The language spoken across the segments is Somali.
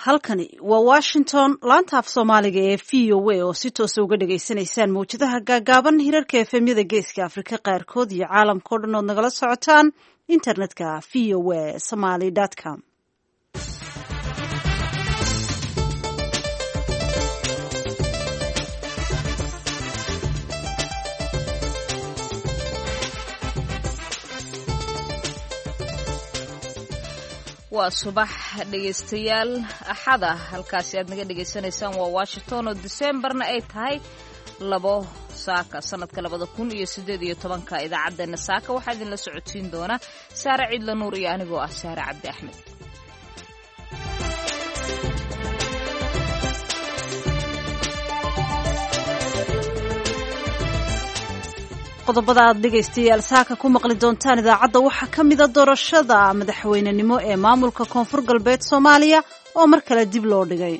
Halkani waa Washington, laanta af Soomaaliga ee VOA oo si toosa uga dhagaysanaysaan mawjadaha gaagaaban, hirarka FM-yada Geeska Afrika qaarkood iyo caalamka oo dhan ood nagala socotaan internetka voasomali.com. Waa subax, dhegaystayaal, Axada. Halkaasi aad naga dhegaysanaysaan waa Washington, oo Diseembarna ay tahay 2 saaka sanadka 2018-ka. Idaacaddeenna saaka waxaa idinla socodsiin doona Saare Ciidla Nuur iyo anigoo ah Saare Cabdi Axmed. Qodobada aad dhegaystayaal saaka ku maqli doontaan idaacadda waxaa ka mida doorashada madaxweynenimo ee maamulka Koonfur Galbeed Soomaaliya oo mar kale dib loo dhigay.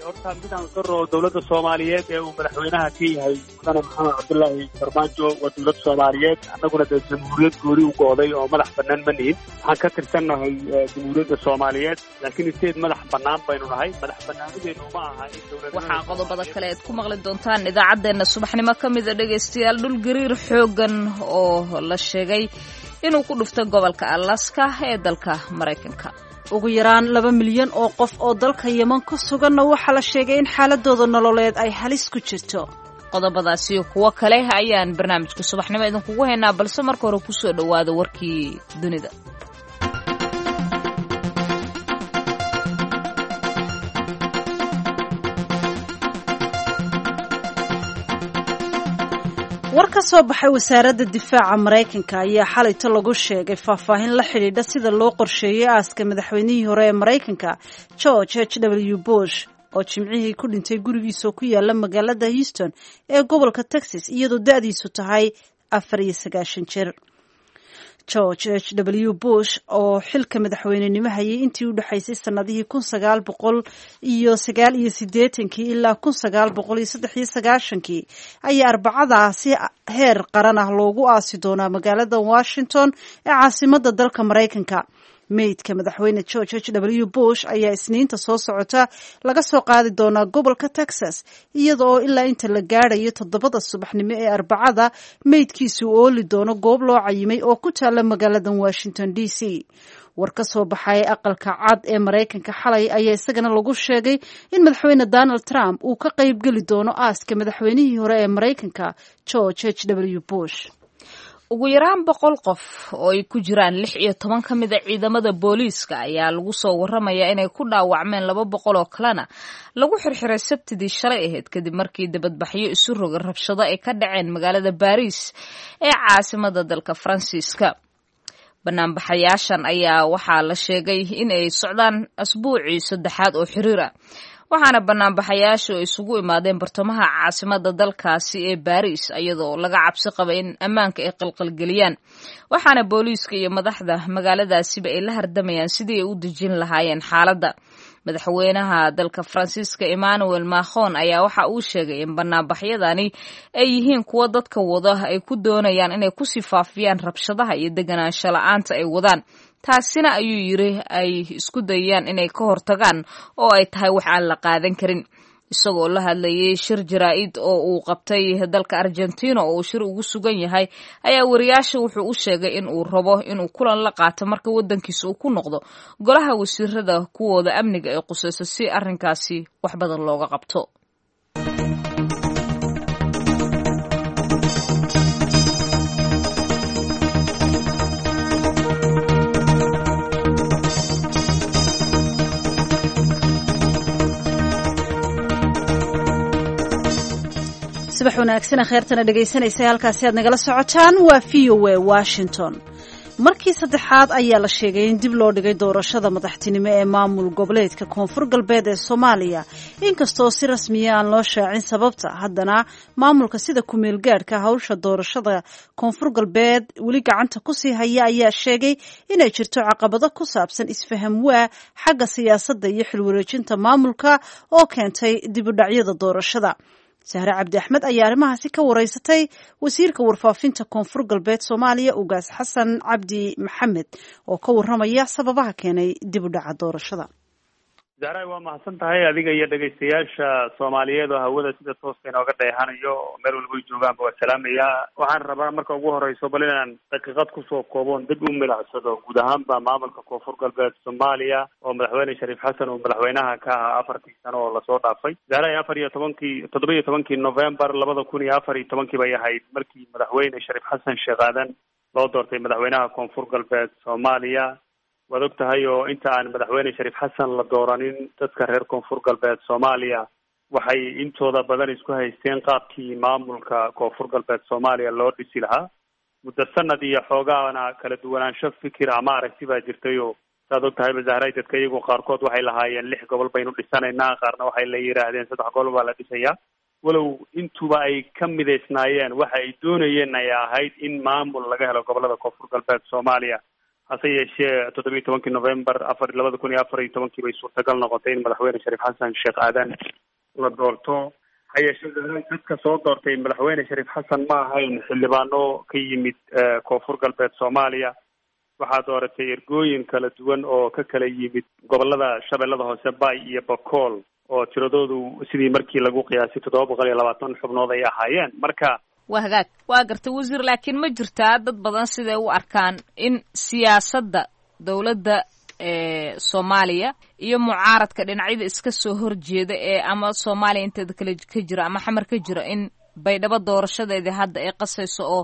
Horta midaan qaro, dowladda Soomaaliyeed ee uu madaxweynaha ka yahay Mudane Maxamed Cabdullaahi Farmaajo waa dowlad Soomaaliyeed. Annaguna dee jamhuuriyad gooni u go'day oo madax bannaan ma nihin. Waxaan ka tirsannahay jamhuuriyadda Soomaaliyeed, laakiin isteed madax bannaan baynu nahay. Madax bannaanideenu ma aha in dowlad Waxaa qodobada kale aad ku maqli doontaan idaacaddeenna subaxnimo ka mida, dhegaystayaal, dhul gariir xooggan oo la sheegay inuu ku dhuftay gobolka Alaska ee dalka Maraykanka. Ugu yaraan 2 milyan oo qof oo dalka Yeman ku suganna waxaa la sheegay in xaaladooda nololeed ay halis ku jirto. Qodobadaasi kuwo kale ayaan barnaamijka subaxnimo idinkugu haynaa, balse marka hore kusoo dhowaada warkii dunida. War ka soo baxay wasaaradda difaaca Maraykanka ayaa xalayto lagu sheegay faahfaahin la xidhiidha sida loo qorsheeyey aaska madaxweynihii hore ee Maraykanka George H W Bush, oo Jimcihii ku dhintay gurigiisa ku yaala magaalada Houston ee gobolka Texas, iyadoo da-diisu tahay 94 jir. George H W Bush oo xilka madaxweynenimo hayay intii u dhexaysay sanadihii 1989-kii ilaa 1993-kii ayaa Arbacadaasi heer qaran ah loogu aasi doonaa magaalada Washington ee caasimada dalka Maraykanka. Meydka madaxweyne George H W Bush ayaa Isniinta soo socota laga soo qaadi doonaa gobolka Texas, iyada oo ilaa inta la gaadhayo 7-da subaxnimo ee Arbacada meydkiisu ooli doono goob loo cayimay oo ku taala magaalada Washington D C. War ka soo baxay Aqalka Cad ee Maraykanka xalay ayaa isagana lagu sheegay in madaxweyne Donald Trump uu ka qaybgeli doono aaska madaxweynihii hore ee Maraykanka George H W Bush. Ugu yaraan 100 qof oo ay ku jiraan 16 ka mid a ciidamada booliiska ayaa lagu soo waramayaa inay ku dhaawacmeen, 200 oo kalena lagu xirxiray Sabtidii shalay ahayd, kadib markii dibadbaxyo isu roga rabshado ay ka dhaceen magaalada Baariis ee caasimada dalka Faransiiska. Banaanbaxayaashan ayaa waxaa la sheegay in ay socdaan asbuucii saddexaad oo xiriir ah, waxaana banaanbaxayaashu ay isugu imaadeen bartamaha caasimada dalkaasi ee Baariis, iyadoo laga cabsi qaba in ammaanka ay qalqalgeliyaan. Waxaana booliiska iyo madaxda magaaladaasiba ay la hardamayaan sidii ay u dejin lahaayeen xaaladda. Madaxweynaha dalka Faransiiska Emmanuel Macron ayaa waxa uu sheegay in banaanbaxyadani ay yihiin kuwo dadka wada ay ku doonayaan inay kusii faafiyaan rabshadaha iyo deganaansho la-aanta ay wadaan, taasina, ayuu yiri, ay isku dayayaan inay ka hortagaan oo ay tahay wax aan la qaadan karin. Isagoo la hadlayay shir jaraa'id oo uu qabtay dalka Argentina oo uu shir ugu sugan yahay ayaa wariyaasha wuxuu u sheegay in uu rabo inuu kulan la qaato marka waddankiisa uu ku noqdo golaha wasiirada kuwooda amniga ay qusayso, si arrinkaasi wax badan looga qabto. Subax wanaagsan, kheertana dhegaysanaysa, halkaasi aad nagala socotaan waa VOA Washington. Markii saddexaad ayaa la sheegay in dib loo dhigay doorashada madaxtinimo ee maamul goboleedka Koonfur Galbeed ee Soomaaliya. Inkastoo si rasmiya aan loo shaacin sababta, haddana maamulka sida kumeel gaadhka hawsha doorashada Koonfur Galbeed weli gacanta kusii haya ayaa sheegay inay jirto caqabado ku saabsan isfaham waa xagga siyaasadda iyo xilwareejinta maamulka oo keentay dib u dhacyada doorashada. Sahre Cabdi Axmed ayaa arrimahaasi ka wareysatay wasiirka warfaafinta Koonfur Galbeed Soomaaliya, Ugaas Xasan Cabdi Maxamed, oo ka waramaya sababaha keenay dib u dhaca doorashada. Zahray, waa mahadsan tahay adiga iyo dhegaystayaasha Soomaaliyeed oo hawada sida tooska inooga dheehanayo, meel walba ay joogaanba waa salaamayaa. Waxaan rabaa marka ugu horeyso bal inaan daqiiqad kusoo kooboon dib u milicsado guud ahaanba maamulka Koonfur Galbeed Soomaaliya oo madaxweyne Shariif Xasan uu madaxweynaha ka ahaa 4-tii sano oo lasoo dhaafay. Zahray, 14-kii, 17-kii November 2014-kii bay ahayd markii madaxweyne Shariif Xasan Sheekh Aadan loo doortay madaxweynaha Koonfur Galbeed Soomaaliya. Waad og tahay oo inta aan madaxweyne Shariif Xasan la dooranin, dadka reer Koonfur Galbeed Soomaaliya waxay intooda badan isku haysteen qaabkii maamulka Koonfur Galbeed Soomaaliya loo dhisi lahaa. Muddo sanad iyo xoogaana kala duwanaansho fikir ama aragti baa jirtay oo saad og tahay Zahray, dadka iyagu qaarkood waxay lahaayeen 6 gobol baynu dhisanaynaa, qaarna waxay la yidhaahdeen 3 gobol baa la dhisayaa, walow intuba ay ka midaysnaayeen waxa ay doonayeen ay ahayd in maamul laga helo gobolada Koonfur Galbeed Soomaaliya. Hase yeeshee 17-kii November 2014-kii bay suurtagal noqotay in madaxweyne Shariif Xasan Sheekh Aadan la doorto. Ha yeeshee dadka soo doortay madaxweyne Shariif Xasan ma ahayn xildhibaano ka yimid Koonfur Galbeed Soomaaliya. Waxaa dooratay ergooyin kala duwan oo ka kala yimid gobolada Shabeellada Hoose, Bay iyo Bakool, oo tiradoodu sidii markii lagu qiyaasay 720 xubnood ay ahaayeen. Marka Waa hagaag, waa gartay wasiir, laakiin ma jirtaa dad badan siday u arkaan in siyaasadda dowladda Soomaaliya iyo mucaaradka dhinacyada iska soo horjeeda ee ama Soomaaliya inteeda kale ka jira ama Xamar ka jira in Baydhabo doorashadeedii hadda ay qasayso, oo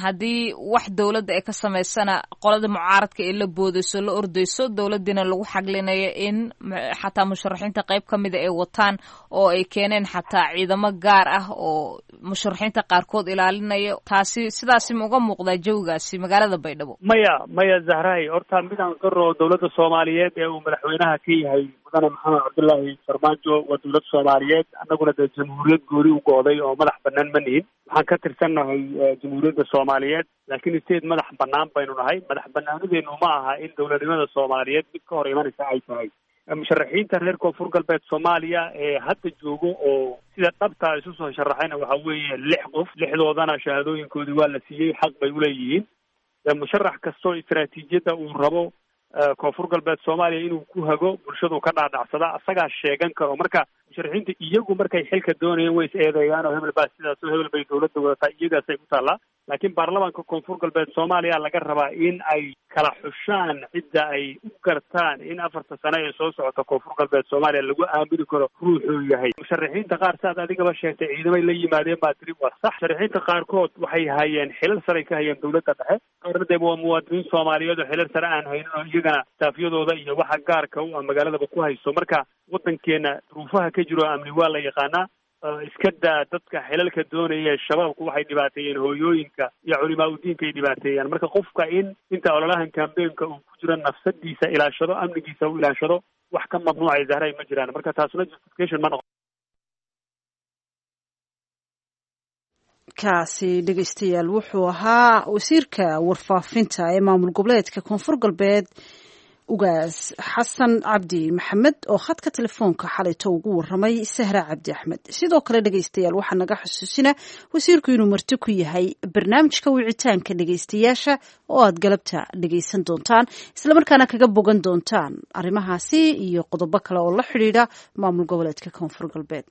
haddii wax dowladda ay ka samaysana qolada mucaaradka ay la boodayso, la ordayso, dowladdiina lagu xaglinayo in xataa musharaxiinta qayb ka mida ay wataan oo ay keeneen xataa ciidamo gaar ah oo musharaxiinta qaarkood ilaalinaya? Taasi sidaasi ma uga muuqdaa jawigaasi magaalada Baydhabo? Maya, maya Zahray, horta midaan qiro, dowladda Soomaaliyeed ee uu madaxweynaha ka yahay mudane Maxamed Cabdullaahi Farmaajo waa dowlad Soomaaliyeed. Annaguna dee jamhuuriyad gooni u go'day oo madax banaan ma nihin. Waxaan ka tirsannahay jamhuuriyadda Soomaaliyeed, laakiin state madax banaan baynu nahay. Madax banaanideenu ma aha in dowladnimada Soomaaliyeed mid ka hor imanaysa ay tahay. Musharaxiinta reer Koonfur Galbeed Soomaaliya ee hadda joogo oo sida dhabta isu soo sharaxayna waxa weeye 6 qof. 6-doodana shahaadooyinkoodii waa la siiyey, xaq bay uleeyihiin. Musharax kastoo istaraatiijiyadda uu rabo Koonfur Galbeed Soomaaliya inuu ku hago bulshadu ka dhaadhacsada asagaa sheegan karo. Marka musharaxiinta iyagu markay xilka doonayeen way is eedeeyaan oo hebel baa sidaas oo hebel bay dowladda wadataa, iyagaasay ku taallaa. Laakiin baarlamaanka Koonfur Galbeed Soomaaliya laga rabaa in ay kala xushaan cidda ay u gartaan in 4-ta sano ee soo socota Koonfur Galbeed Soomaaliya lagu aamini karo ruuxuu yahay. Musharaxiinta qaar, saad adigaba sheegtay, ciidamay la yimaadeen baa tiri, waa sax. Musharaxiinta qaarkood waxay hayeen xilal saray ka hayeen dowladda dhexe, qaarna dee waa muwaadiniin Soomaaliyeed oo xilal sare aan haynin oo iyagana saafyadooda iyo waxa gaarka u ah magaaladaba ku hayso. Marka waddankeena duruufaha ka jiro amni waa la yaqaanaa. Iska daa dadka xilalka doonaya, shabaabku waxay dhibaateeyeen hooyooyinka iyo culimaa udiinka ay dhibaateeyaan. Marka qofka in inta ololahan cambaynka uu ku jiro nafsadiisa ilaashado, amnigiisa uu ilaashado, wax ka mamnuucay Zahray ma jiraan. Marka taasuna justification ma noqon. Kaasi dhegeystayaal wuxuu ahaa wasiirka warfaafinta ee maamul goboleedka Koonfur Galbeed, Ugaas Xasan Cabdi Maxamed, oo khadka telefoonka xalayto ugu waramay Sahra Cabdi Axmed. Sidoo kale dhegeystayaal, waxaa naga xusuusina wasiirku inuu marti ku yahay barnaamijka wicitaanka dhegeystayaasha oo aad galabta dhegeysan doontaan, islamarkaana kaga bogan doontaan arrimahaasi iyo qodobo kale oo la xidhiidha maamul goboleedka Koonfur Galbeed.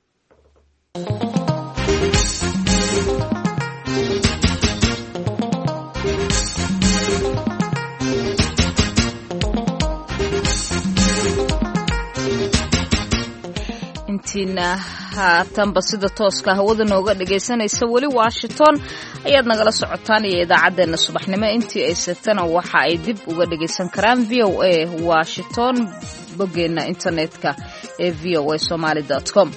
Intiina haatanba sida tooska hawada nooga dhagaysanaysa, weli Washington ayaad nagala socotaan iyo idaacaddeenna subaxnimo. Intii ay seegtana waxa ay dib uga dhagaysan karaan V O A Washington boggeenna internetka ee v o a somaly com.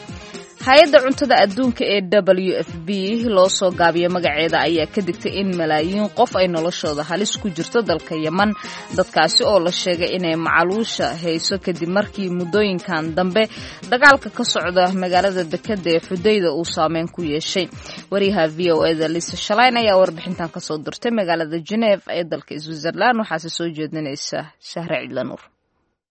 Hay-adda cuntada adduunka ee W F B loo soo gaabiyo magaceeda ayaa ka digtay in malaayiin qof ay noloshooda halis ku jirto dalka Yeman, dadkaasi oo la sheegay inay macaluusha hayso kadib markii muddooyinkan dambe dagaalka ka socda magaalada dekeda ee Xudayda uu saameyn ku yeeshay. Wariyaha V O eda Lisa Shalayn ayaa warbixintan kasoo dirtay magaalada Geneve ee dalka Switzerland, waxaase soo jeedinaysa Shahre Cidlanuur.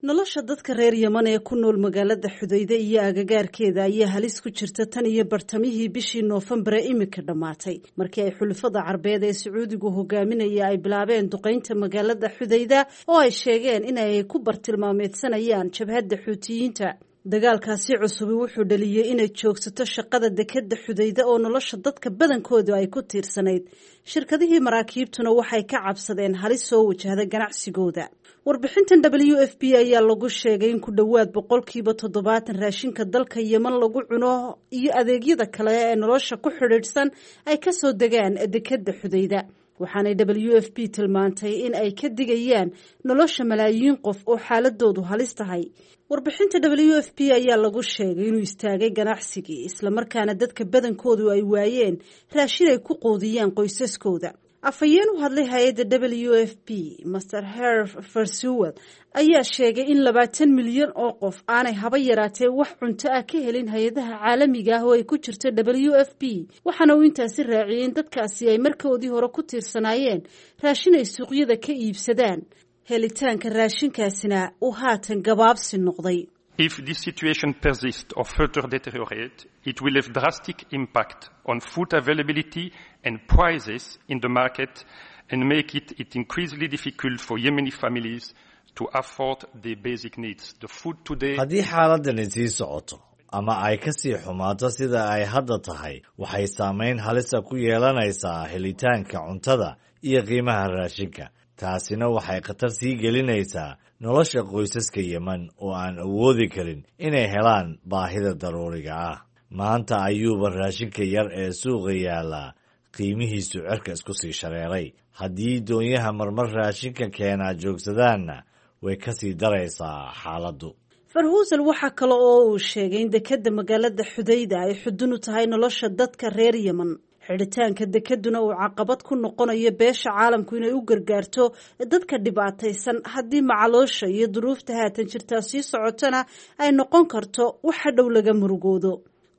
Nolosha dadka reer Yeman ee ku nool magaalada Xudayde iyo agagaarkeeda ayaa halis ku jirta tan iyo bartamihii bishii Noofembar ee imika dhammaatay, markii ay xulafada Carbeed ee Sacuudigu hogaaminaya ay bilaabeen duqeynta magaalada Xudayda oo ay sheegeen in ay ku bartilmaameedsanayaan jabhadda Xuutiyiinta. Dagaalkaasi cusubi wuxuu dhaliyey inay joogsato shaqada dekadda Xudayda oo nolosha dadka badankoodu ay ku tiirsanayd. Shirkadihii maraakiibtuna waxay ka cabsadeen halis soo wajahda ganacsigooda. Warbixintan WFP ayaa lagu sheegay in ku dhowaad 70% raashinka dalka Yeman lagu cuno iyo adeegyada kale ee nolosha ku xidhiidhsan ay kasoo degaan dekadda Xudayda. Waxaanay WFP tilmaantay in ay ka digayaan nolosha malaayiin qof oo xaaladoodu halis tahay. Warbixinta WFP ayaa lagu sheegay inuu istaagay ganacsigii, islamarkaana dadka badankoodu ay waayeen raashin ay ku quudiyaan qoysaskooda. Afhayeen u hadlay hay-adda WFP, Master Herve Verheuvel, ayaa sheegay in 20 milyan oo qof aanay haba yaraatee wax cunto ah ka helin hay-adaha caalamiga ah oo ay ku jirto WFP. Waxaana uu intaasi raaciyey in dadkaasi ay markoodii hore ku tiirsanaayeen raashin ay suuqyada ka iibsadaan, helitaanka raashinkaasina uu haatan gabaabsi noqday. If this situation persists or further deteriorates, it will have drastic impact on food availability and prices in the market and make it increasingly difficult for Yemeni families to afford their basic needs. The food today. Haddii xaaladani sii socoto ama ay ka sii xumaato sida ay hadda tahay, waxay saamayn halisa ku yeelanaysaa helitaanka cuntada iyo qiimaha raashinka. Taasina waxay khatar sii gelinaysaa nolosha qoysaska Yemen oo aan awoodi karin inay helaan baahida daruuriga ah. Maanta ayuuba raashinka yar ee suuqa yaallaa qiimihiisu cirka isku sii shareeray. Haddii doonyaha marmar raashinka keenaa joogsadaanna, way ka sii daraysaa xaaladdu. Verheuvel waxaa kale oo uu sheegay in dekadda magaalada Xudayda ay xudun u tahay nolosha dadka reer Yeman, xidhitaanka dekaduna uu caqabad ku noqonayo beesha caalamku inay u gargaarto dadka dhibaataysan. Haddii macaloosha iyo duruufta haatan jirtaa sii socotona, ay noqon karto waxa dhow laga murugoodo.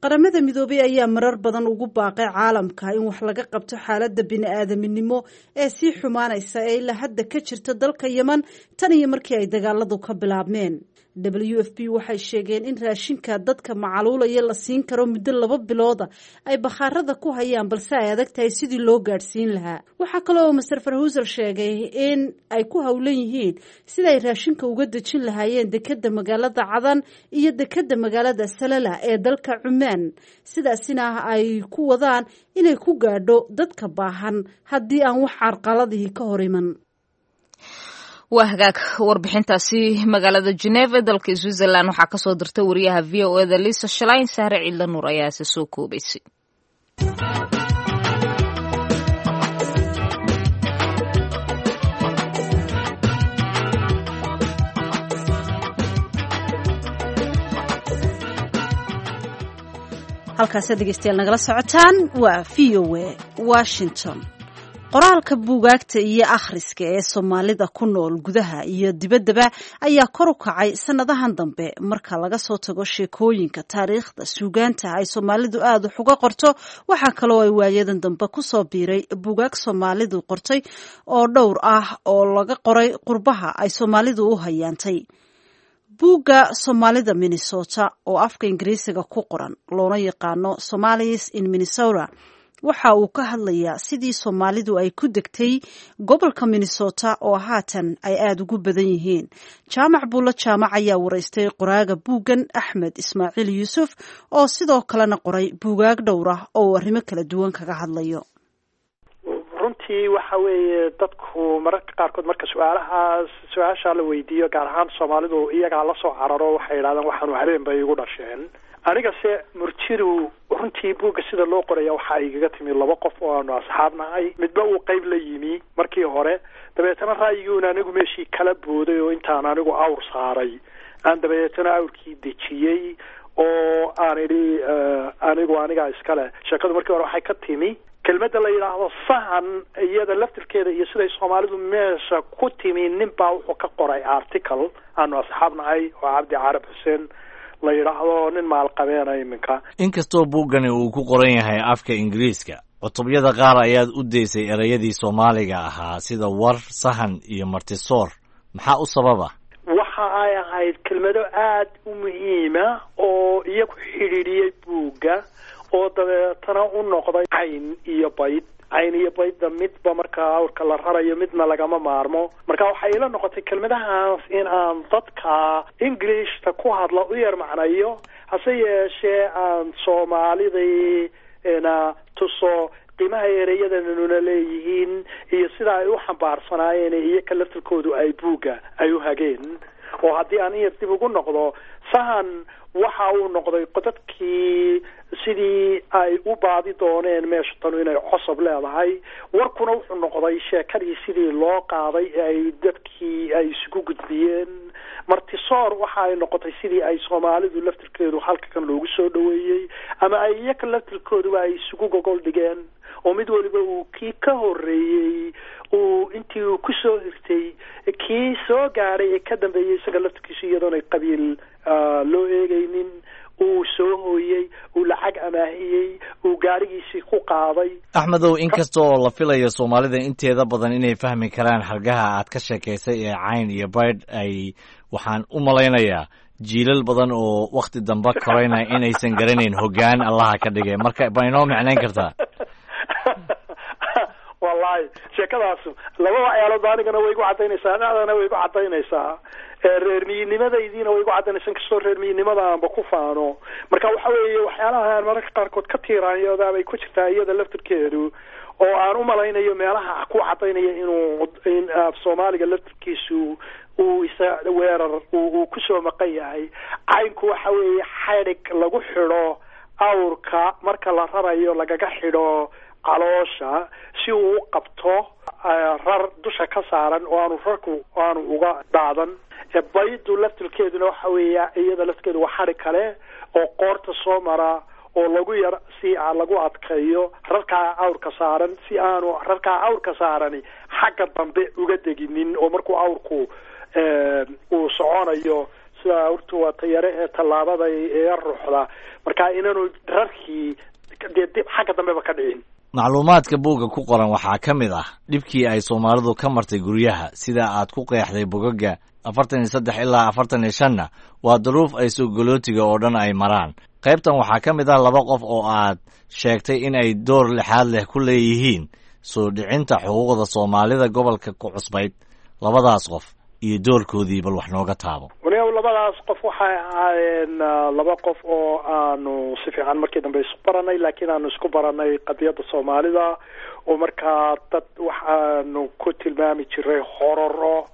Qaramada Midoobay ayaa marar badan ugu baaqay caalamka in wax laga qabto xaaladda bini-aadaminimo ee sii xumaanaysa ee ilaa hadda ka jirta dalka Yeman tan iyo markii ay dagaaladu ka bilaabmeen. WFP waxay sheegeen in raashinka dadka macaluulaya la siin karo muddo 2 bilooda ay bakhaarada ku hayaan, balse ay adag tahay sidii loo gaadhsiin lahaa. Waxaa kale oo Master Verheuvel sheegay in ay ku howlan yihiin sida ay raashinka uga dejin lahaayeen dekadda magaalada Cadan iyo dekadda magaalada Salala ee dalka Cumaan, sidaasina ay ku wadaan inay ku gaadho dadka baahan haddii aan wax carqaladihii ka hor iman. Waa hagaag. Warbixintaasi magaalada Geneva ee dalka Switzerland waxaa kasoo dirtay wariyaha VOA-da Lisa Schlein. Sahre Ciidla Nuur ayaase soo koobaysay. Halkaasi dhegeystayaal nagala socotaan waa VOA Washington. Qoraalka buugaagta iyo akhriska ee Soomaalida ku nool gudaha iyo dibaddaba ayaa kor u kacay sannadahan dambe. Marka laga soo tago sheekooyinka, taariikhda, suugaanta ay Soomaalidu aada wax uga qorto, waxaa kaloo ay waayadan dambe kusoo biiray buugaag Soomaalidu qortay oo dhowr ah oo laga qoray qurbaha ay Soomaalidu u hayaantay. Buugga Soomaalida Minnesota oo afka Ingiriisiga ku qoran, loona yaqaano Somalis in Minnesota, waxa uu ka hadlayaa sidii Soomaalidu ay ku degtay gobolka Minnesota oo haatan ay aada ugu badan yihiin. Jaamac Buulo Jaamac ayaa waraystay qoraaga buuggan, Axmed Ismaaciil Yuusuf, oo sidoo kalena qoray buugaag dhowr ah oo uu arrimo kala duwan kaga hadlayo. Runtii waxa weeye, dadku mararka qaarkood marka su-aalahaas su-aashaa la weydiiyo, gaar ahaan Soomaalidu, iyagaa lasoo cararo, waxay yidhahdaan waxaanu habeen bay igu dhasheen. Aniga se murtidu runtii buugga sida loo qoraya waxaa igaga timi laba qof oo aanu asxaab nahay, midba uu qayb la yimi markii hore, dabeetana ra'yiguuna anigu meeshii kala booday oo intaan anigu awr saaray aan dabeetana awrkii dejiyey oo aan idhi anigu anigaa iskale. Sheekadu markii hore waxay ka timi kelmadda la yidhaahdo sahan, iyada laftirkeeda iyo siday Soomaalidu meesha ku timi. Nin baa wuxuu ka qoray article aanu asxaab nahay oo Cabdi Carab Xuseen la yidhaahdo, nin maalqabeena iminka. Inkastoo buuggani uu ku qoran yahay afka Ingiriiska, cutubyada qaar ayaad u daysay ereyadii Soomaaliga ahaa sida war, sahan iyo martisoor. Maxaa u sababa? Waxa ay ahayd kelmado aad u muhiima oo iyagu xidhiidhiyey buugga, oo dabeetana u noqday cayn iyo bayd. Cayn iyo baydda midba markaa awrka la rarayo midna lagama maarmo. Marka waxay ila noqotay kelmadahaas in aan dadka Englishta ku hadla u yar macnayo, hase yeeshee aan Soomaalidii na tuso qiimaha ereyadanuna leeyihiin iyo sida ay u xambaarsanaayeen iyo ka laftirkoodu ay buugga ay u hageen. Oo haddii aan in yar dib ugu noqdo, sahan waxa uu noqday dadkii sidii ay u baadi dooneen meesha tanu inay cosob leedahay. Warkuna wuxuu noqday sheekadii sidii loo qaaday ee ay dadkii ay isugu gudbiyeen. Martisoor waxa ay noqotay sidii ay Soomaalidu laftirkeedu halka kan loogu soo dhaweeyey, ama ay iyaka laftirkooduba ay isugu gogol dhigeen, oo mid waliba uu kii ka horreeyey uu intii uu ku soo hirtay kii soo gaadhay ee ka dambeeyey isaga laftirkiisu, iyadoonay qabiil loo eegaynin, uu soo hooyey, uu lacag amaahiyey, uu gaarigiisii ku qaaday. Axmedow, inkasta oo la filayo Soomaalida inteeda badan inay fahmi karaan xargaha aad ka sheekaysay ee cayn iyo baydh, ay waxaan u malaynayaa jiilal badan oo wakhti dambe korayna inaysan garanayn hoggaan Allaha ka dhigay. Marka ma inoo micnayn kartaa? Wallahi sheekadaasu laba waxyaalood anigana way igu cadaynaysaa, anadana way igu cadaynaysaa, reer miyinimadaydiina way igu cadaynaysaa, inkastoo reer miyinimada aanba ku faano. Marka waxa weeye waxyaalaha aan mararka qaarkood ka tiiraanyoodaa bay ku jirtaa iyada laftirkeedu, oo aan u malaynayo meelaha ku cadaynaya inuu in af Soomaaliga laftirkiisu uu isa weerar uu kusoo maqan yahay. Caynku waxa weeye xadhig lagu xidho awrka marka la rarayo, lagaga xidho caloosha si uu u qabto rar dusha ka saaran oo aanu rarku aanu uga daadan. Baydu laftirkeeduna waxa weeya iyada laftirkeedu waa xadhig kale oo qoorta soo mara oo lagu yar si lagu adkeeyo rarkaa awrka saaran, si aanu rarkaa awrka saarani xagga dambe uga deginin, oo markuu awrku uu soconayo sida awrtu waa tayare ee tallaabada ee ruuxda, marka inaanu rarkii dee dib xagga dambeba ka dhicin. Macluumaadka buugga ku qoran waxaa ka mid ah dhibkii ay Soomaalidu ka martay guryaha, sida aad ku qeexday bogagga 43 ilaa 45-na waa duruuf ay soogolootiga oo dhan ay maraan. Qaybtan waxaa ka mid ah laba qof oo aad sheegtay in ay door lixaad leh ku leeyihiin soo dhicinta xuquuqda Soomaalida gobolka ku cusbayd. Labadaas qof iyo doorkoodii bal wax nooga taabo. Waliba labadaas qof waxay ahaayeen laba qof oo aanu si fiican markii dambe isku baranay, laakiin aanu isku baranay qadiyadda Soomaalida, oo markaa dad waxaanu ku tilmaami jiray hororo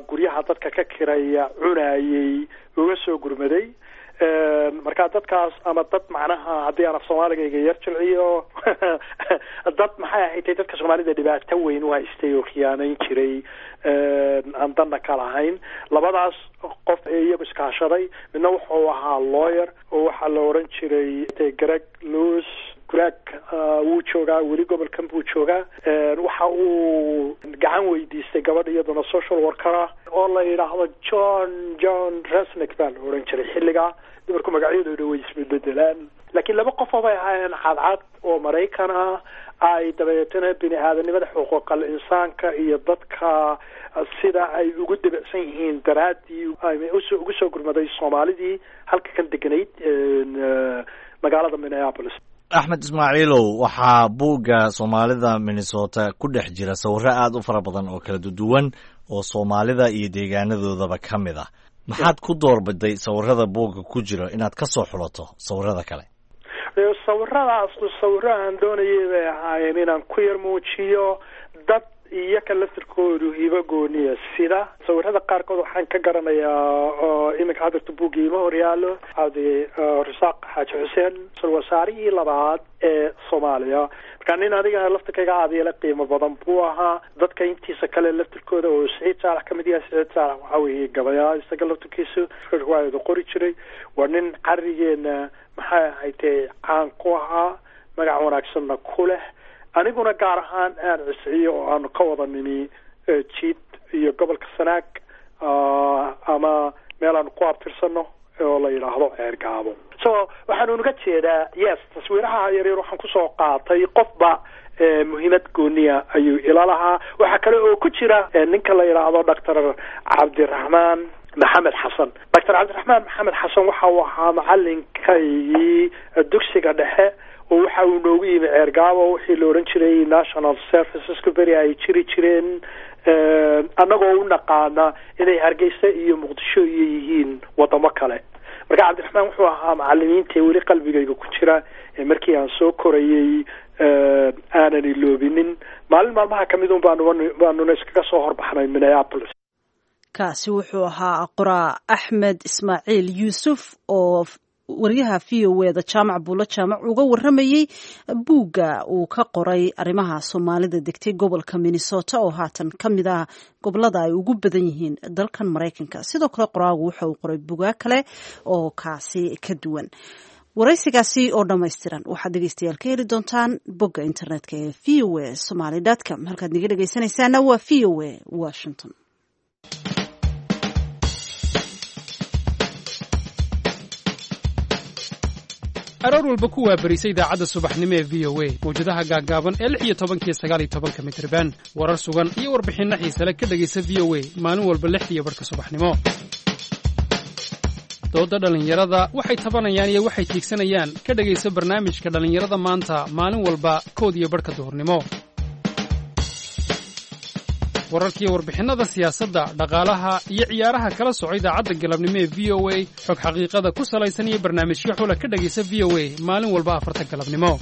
guryaha dadka ka kiraya cunayey uga soo gurmaday. Marka dadkaas ama dad macnaha haddii aan af Soomaaligayga yar jilciyo, dad maxay ahayd dadka Soomaalida dhibaato weyn u haystay oo khiyaanayn jiray aan danna ka lahayn. Labadaas qof ee iyagu iskaashaday, midna wuxuu ahaa lawyer oo waxaa la oran jiray Greg Lewis. Greg wuu joogaa weli, gobolkan buu joogaa. Waxa uu gacan weydiistay gabadh iyaduna social worker ah oo la yidhaahdo John Resnick baa la oran jiray xilligaa. Dumarku magacyadooda way isbedelaan, laakiin laba qof oo bay ahaayeen cadcad oo Maraykan ah, ay dabeetana bini aadanimada, xuquuqal insaanka iyo dadka sida ay ugu debacsan yihiin daraaddii ugu soo gurmaday Soomaalidii halka kan deganayd magaalada Minneapolis. Axmed Ismaaciilow, waxaa buugga Soomaalida Minnesota ku dhex jira sawirro aad u fara badan oo kala duwan oo Soomaalida iyo deegaanadoodaba ka mid ah. Maxaad ku doorbiday sawirada buugga ku jira inaad ka soo xulato sawirada kale? Sawiradaas sawiro aan doonayay bay ahaayeen inaan ku yar muujiyo dad iyaka laftirkoodu hibo gooniya. Sida sawirada qaarkood waxaan ka garanayaa oo iminka hadirta buugga ima horyaalo Cabdi Rasaaq Xaaji Xuseen, wasaarihii labaad ee Soomaaliya. Marka nin aniga laftirkayga aada ila qiimo badan buu ahaa. Dadka intiisa kale laftirkooda oo Siciid Saalax kamid yahay, Siciid Saalax waxa weeye gabayaa, isaga laftirkiisu riwaayadu qori jiray. Waa nin carigeena maxay ahaydee caan ku ahaa, magac wanaagsanna ku leh. Aniguna gaar ahaan aan cisciyo oo aanu ka wada nimi jiid iyo gobolka Sanaag ama meel aanu ku abtirsano oo la yidhaahdo Ceergaabo. So waxaanu uga jeedaa, yes, taswiiraha yaryar waxaan kusoo qaatay qofba muhiimad gooniya ayuu ila lahaa. Waxaa kale oo ku jira ninka la yidhaahdo Doctor Cabdiraxmaan Maxamed Xasan. Doctor Cabdiraxmaan Maxamed Xasan waxa uu ahaa macalinkaygii dugsiga dhexe, oo waxa uu noogu yimi Ceergaabo, wixii la odhan jiray National Serviceska beri ay jiri jireen, annagoo u naqaana inay Hargeysa iyo Muqdisho iyo yihiin wadamo kale. Marka Cabdiraxmaan wuxuu ahaa macalimiinta weli qalbigayga ku jira ee markii aan soo korayay aanan iloobinin. Maalin maalmaha kamid un baanuna iskaga soo horbaxnay Minneapolis. Kaasi wuxuu ahaa qoraa Axmed Ismaaciil Yuusuf oo wariyaha VOA da Jaamac Buulo Jaamac uga waramayey buugga uu ka qoray arrimaha Soomaalida degtay gobolka Minnesota, oo haatan ka mid ah gobolada ay ugu badan yihiin dalkan Maraykanka. Sidoo kale qoraagu waxa uu qoray buugaag kale oo kaasi ka duwan. Waraysigaasi oo dhammaystiran waxaad dhegeystayaal ka heli doontaan bogga internetka ee voasomali.com. Halkaad naga dhegeysanaysaana waa VOA Washington. Aroor walba ku waabarisa idaacadda subaxnimo ee VOA mawjadaha gaaggaaban ee 16-ka iyo 19-ka mitriban. Warar sugan iyo warbixinno xiise leh ka dhegaysa VOA maalin walba 6:30 subaxnimo. Dooda dhallinyarada, waxay tabanayaan iyo waxay tiigsanayaan, ka dhegaysa barnaamijka Dhallinyarada Maanta maalin walba 1:30 duhurnimo. Wararkiiyo warbixinnada siyaasadda, dhaqaalaha iyo ciyaaraha kala soco idaacadda galabnimo ee VOA. Xog xaqiiqada ku salaysan iyo barnaamijyo xula ka dhegaysa VOA maalin walba 4-ta galabnimo.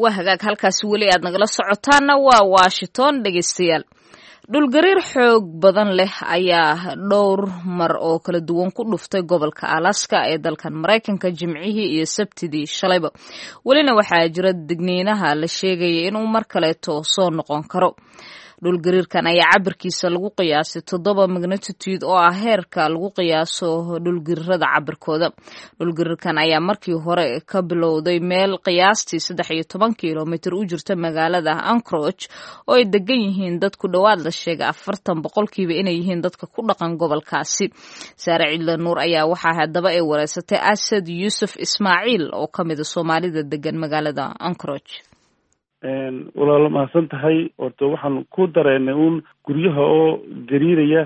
Waa hagaag, halkaasi weli aad nagala socotaana waa Washington, dhegaystayaal. Dhulgariir xoog badan leh ayaa dhowr mar oo kala duwan ku dhuftay gobolka Alaska ee dalkan Maraykanka Jimcihii iyo Sabtidii shalayba. Welina waxaa jira digniinaha la sheegaya inuu mar kaleeto soo noqon karo. Dhulgariirkan ayaa cabirkiisa lagu qiyaasay 7 magnitude, oo ah heerka lagu qiyaaso dhulgariirada cabirkooda. Dhulgariirkan ayaa markii hore ka bilowday meel qiyaastii 13 kilomitir u jirta magaalada Anchorage, oo ay degan yihiin dad ku dhowaad la sheegay 40% inay yihiin dadka ku dhaqan gobolkaasi. Saare Cidla Nuur ayaa waxaa haddaba ay wareysatay Asad Yuusuf Ismaaciil oo ka mida Soomaalida degan magaalada Anchorage. Walaalo, mahadsan tahay. Horta waxaan ku dareennay uun guryaha oo gariiraya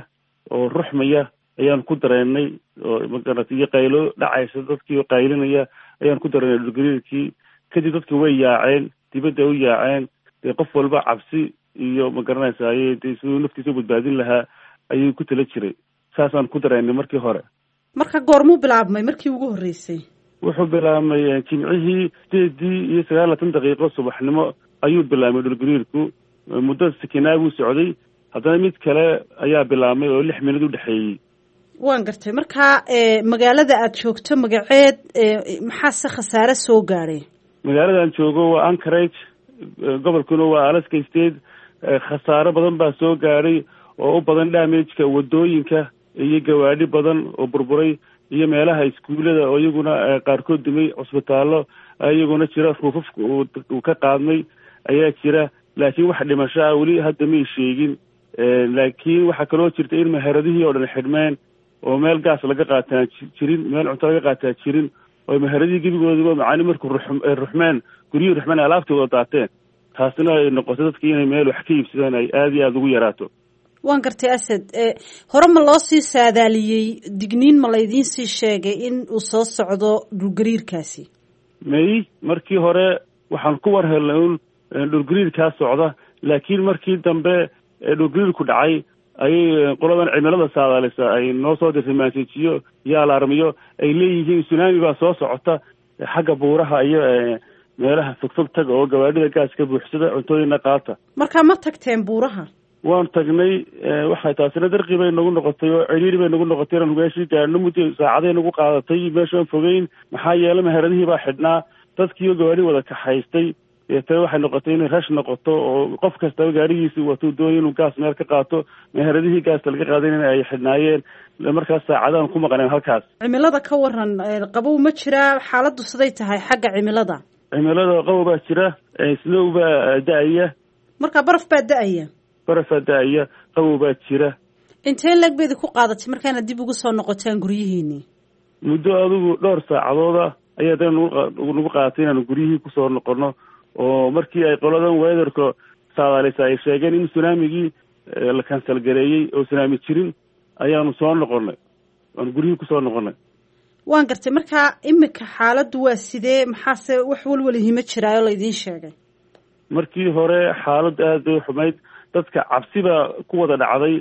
oo ruxmaya ayaan ku dareennay, oo magarata iyo qaylo dhacaysa, dadkii oo qaylinaya ayaan ku dareennay dhulgariirkii. Kadib dadki way yaaceen, dibadda u yaaceen. Dee qof walba cabsi iyo magaranaysa ayay dee siduu naftiisa u badbaadin lahaa ayuu ku tala jiray. Saasaan ku dareennay markii hore. Marka goormuu bilaabmay markii ugu horreysay? Wuxuu bilaabmay Jimcihii 8:29 subaxnimo ayuu bilaabmay dhulgariirku. Muddo sikinaa buu socday, haddana mid kale ayaa bilaabmay oo 6 minad u dhexeeyey. Waan gartay. Marka magaalada aad joogto magaceed, maxaase khasaare soo gaadhay? Magaaladan joogo waa Anchorage, gobolkuna waa Alaska State. Khasaare badan baa soo gaadhay oo u badan damageka wadooyinka iyo gawaadhi badan oo burburay iyo meelaha iskuullada oo iyaguna qaarkood dumay, cusbitaallo iyaguna jira ruufafka uu ka qaadmay ayaa jira. Laakiin wax dhimasho ah weli hadda may sheegin. Laakiin waxaa kaloo jirta in meheradihii oo dhan xidhmeen, oo meel gaas laga qaataa jirin, meel cunto laga qaataa jirin, oo meheradihii gebigoodaba macaani markuu ruxmeen, guryihii ruxmeen, alaabtii wada daateen. Taasina ay noqotay dadkii inay meel wax ka iibsadaan ay aada iyo aada ugu yaraato. Waan gartay, Asad. Hore ma loo sii saadaaliyey? Digniin ma laydiin sii sheegay in uu soo socdo dhulgariirkaasi? May, markii hore waxaan ku war helnay un dhulgariirkaa socda, laakiin markii dambe dhulgariirku dhacay ayay qoladan cimilada saadaalisa ay noo soo dirtay maasejiyo iyo alaarmiyo ay leeyihiin tsunami baa soo socota xagga buuraha iyo meelaha fogfog taga, oo gawaadhida gaaska buuxsada, cuntooyina qaata. Marka ma tagteen buuraha? Waan tagnay. Waxay taasina darqi bay nagu noqotay oo ciriiri bay nagu noqotay inaan meeshii gaadhno. Muddo saacaday nagu qaadatay meeshaan fogeyn, maxaa yeelay meheradihii baa xidhnaa, dadkiioo gawaadhi wada kaxaystay. Deetana waxay noqotay inay rash noqoto oo qof kastaba gaarigiisi watuu doonay inuu gaas meel ka qaato, meheradihii gaasta laga qaadanayna ay xidhnaayeen. Markaas saacadaan ku maqneen halkaas. Cimilada ka waran, qabow ma jiraa? Xaaladdu siday tahay xagga cimilada? Cimilada qabow baa jira, snow baa da-aya. Marka baraf baa da-aya? Barafaa da-aya, qabow baa jira. Intee leeg bayd ku qaadatay markaana dib ugu soo noqotaan guryihiinii? Muddo adigu dhowr saacadooda ayaa dana nagu qaadatay inaanu guryihii kusoo noqono, oo markii ay qoladan weatherka saadaalisa ay sheegeen in tsunamigii la cancel gareeyey oo tsunami jirin, Ayaanu soo noqonnay, waanu guryihii kusoo noqonnay. Waan gartay. Marka imika xaaladdu waa sidee? Maxaase wax walwalihima jiraayo laydiin sheegay? Markii hore xaaladdu aad bay xumayd, dadka cabsi baa ku wada dhacday,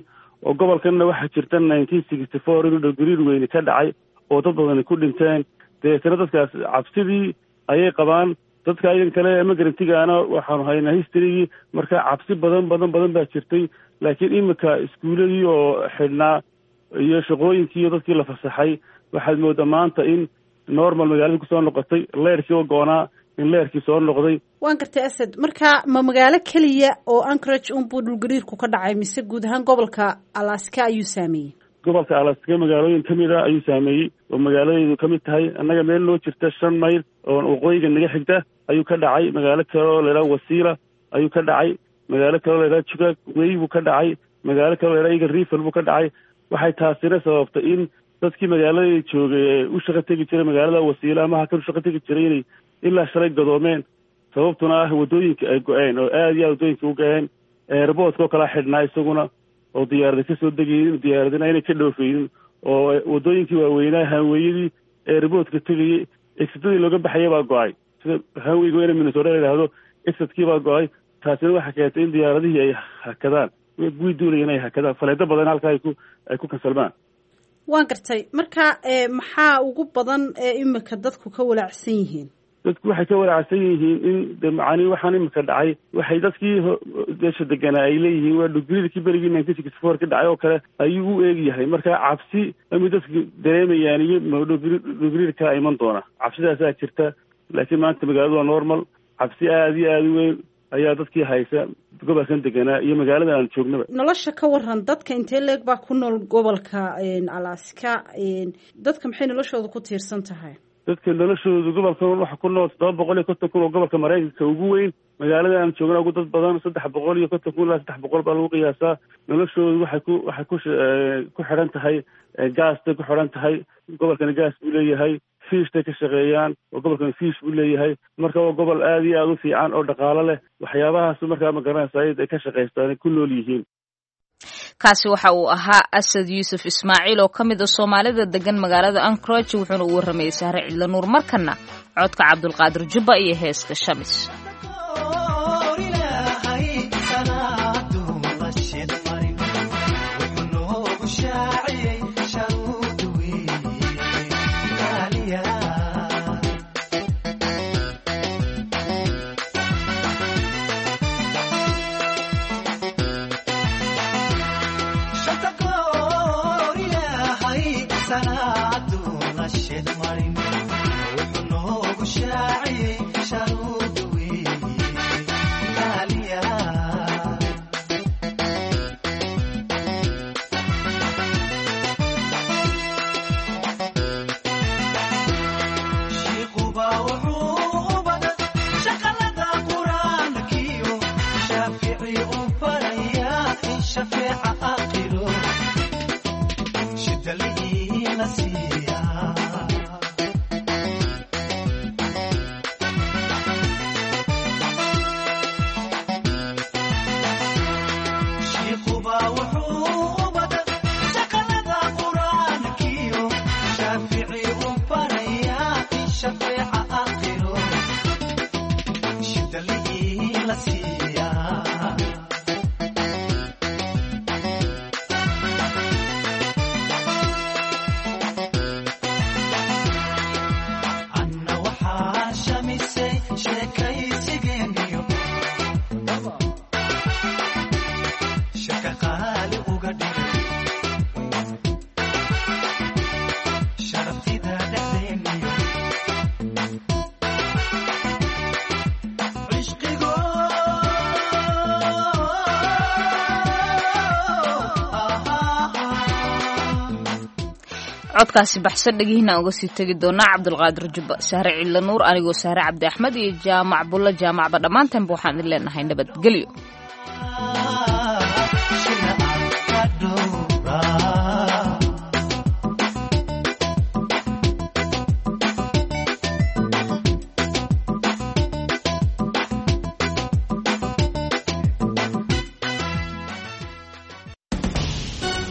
oo gobolkanna waxaa jirta 1964 inuu dhulgariir weyne ka dhacay oo dad badani ku dhinteen. Dabeetana dadkaas cabsidii ayay qabaan. Dadka idan kale immigrant-igaana waxaanu haynaa history-gii, marka cabsi badan badan badan baa jirtay. Laakiin imika iskuuladii oo xidhnaa iyo shaqooyinkii iyo dadkii la fasaxay, waxaad moodaa maanta in normal magaalada kusoo noqotay, leerkii oo goonaa in leerkii soo noqday. Waan gartay, Asad. Marka ma magaalo keliya oo Anchorage unbuu dhulgariirku ka dhacay, mise guud ahaan gobolka Alaska ayuu saameeyey? Gobolka Alaska magaalooyin kamid a ayuu saameeyey, oo magaaladeedu ka mid tahay annaga meel noo jirta 5 mayl oo waqooyiga naga xigta ayuu ka dhacay. Magaalo kale oo la yidhaha Wasilla ayuu ka dhacay. Magaalo kale oo la yidhaha Chugach Way buu ka dhacay. Magaalo kale oo la yidhaha Eagle River buu ka dhacay. Waxay taasina sababtay in dadkii magaalada joogay ee u shaqo tegi jiray magaalada Wasilla ama hakan u shaqo tegi jiray inay ilaa shalay gadoomeen, sababtuna ah waddooyinka ay go-een oo aada iyo aad waddooyinka u go-een. Airport-ka oo kala xidhnaa isaguna, oo diyaarada kasoo degaynin, diyaaradina inay ka dhoofaynin, oo waddooyinkii waaweynaa, highway-yadii airport-ka tegayay, exit-adii looga baxaya baa go-ay. Sida highway-ga weyne Minnesota la yidhaahdo, exit-kii baa go-ay. Taasina waxaa keentay in diyaaradihii ay hakadaan, kuwii duulaya inay hakadaan, flight-o badan halka ay ku cancel-maan. Waan gartay. Marka maxaa ugu badan ee imika dadku ka walaacsan yihiin? Dadku waxay ka walaacsan yihiin in de macanii waxaan imika dhacay, waxay dadkii meesha deganaa ay leeyihiin waa dhulgariirkii berigii 1964 ka dhacay oo kale ayuu u eeg yahay. Marka cabsi amay dadku dareemayaan iyo dhulgariir kala iman doona, cabsidaasaa jirta. Laakiin maanta magaaladu waa normal. Cabsi aada iyo aada u weyn ayaa dadkii haysa gobolkan deganaa iyo magaalada aan joognaba. Nolosha ka waran, dadka intee leeg baa ku nool gobolka Alaska? Dadka maxay noloshooda ku tiirsan tahay? Dadka noloshoodu, gobolkan waxa ku nool 750,000 oo gobolka Maraykanka ugu weyn. Magaalada aan joogna ugu dad badan, 350,000 ilaa 300 baa lagu qiyaasaa. Noloshoodu waxay ku xidhan tahay gaastay ku xidhan tahay. Gobolkani gaas buu leeyahay. Fish-tay ka shaqeeyaan, oo gobolkani fish buu leeyahay. Marka waa gobol aada iyo aada u fiican oo dhaqaalo leh. Waxyaabahaas markaa ma garanaysa ay ka shaqaystaan, ku nool yihiin. Kaasi waxa uu ahaa Asad Yuusuf Ismaaciil oo ka mid a Soomaalida degan magaalada Anchorage, wuxuuna u warramayay Sahre Cidla Nuur. Markana codka Cabdulqaadir Jubba iyo heeska Shamis. Codkaasi baxsan dhegihiina uga sii tegi doonaa Cabdulqaadir Jubba, Sahre Cidla Nuur, anigoo Sahre Cabdi Axmed iyo Jaamac Bulla Jaamacba, dhammaantaanba waxaan idin leenahay nabadgelyo.